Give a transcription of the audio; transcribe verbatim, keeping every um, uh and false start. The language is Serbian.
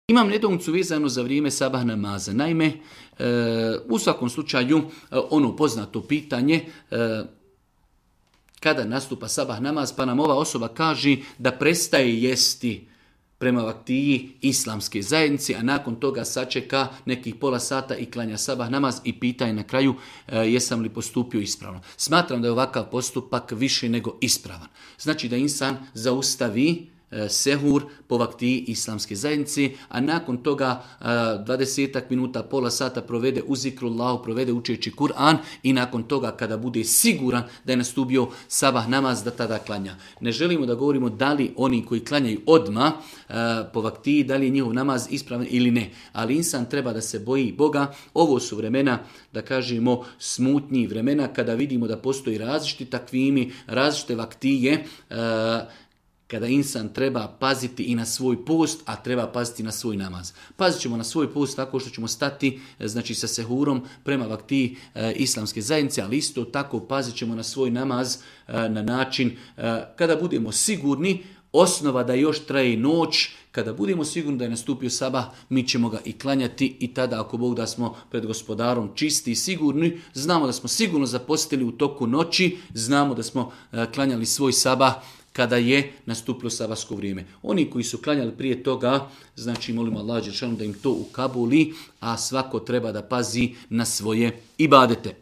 Imam nedoumicu vezano za vrijeme sabah namaza. Naime, e, u svakom slučaju, e, ono poznato pitanje, e, kada nastupa sabah namaz, pa nam ova osoba kaže da prestaje jesti prema vaktiji islamske zajednice, a nakon toga sačeka nekih pola sata i klanja sabah namaz i pita je na kraju e, jesam li postupio ispravno. Smatram da je ovakav postupak više nego ispravan. Znači da insan zaustavi sehur po vaktiji islamske zajednice, a nakon toga dvadesetak minuta, pola sata provede u zikrullahu, provede učeći Kur'an i nakon toga kada bude siguran da je nastupio sabah namaz, da tada klanja. Ne želimo da govorimo da li oni koji klanjaju odmah po vaktiji, da li je njihov namaz ispravan ili ne, ali insan treba da se boji Boga. Ovo su vremena, da kažemo, smutnji vremena kada vidimo da postoji različiti takvimi, različite vaktije, kada insan treba paziti i na svoj post, a treba paziti na svoj namaz. Pazit ćemo na svoj post tako što ćemo stati, znači, sa sehurom prema vaktiji e, islamske zajednice, ali isto tako pazit ćemo na svoj namaz e, na način e, kada budemo sigurni, osnova da još traje noć, kada budemo sigurni da je nastupio sabah, mi ćemo ga i klanjati i tada, ako Bog da, smo pred gospodarom čisti i sigurni, znamo da smo sigurno zapostili u toku noći, znamo da smo e, klanjali svoj sabah kada je nastupilo sabahsko vrijeme. Oni koji su klanjali prije toga, znači molimo Allah dželešanu da im to ukabuli, a svako treba da pazi na svoje ibadete.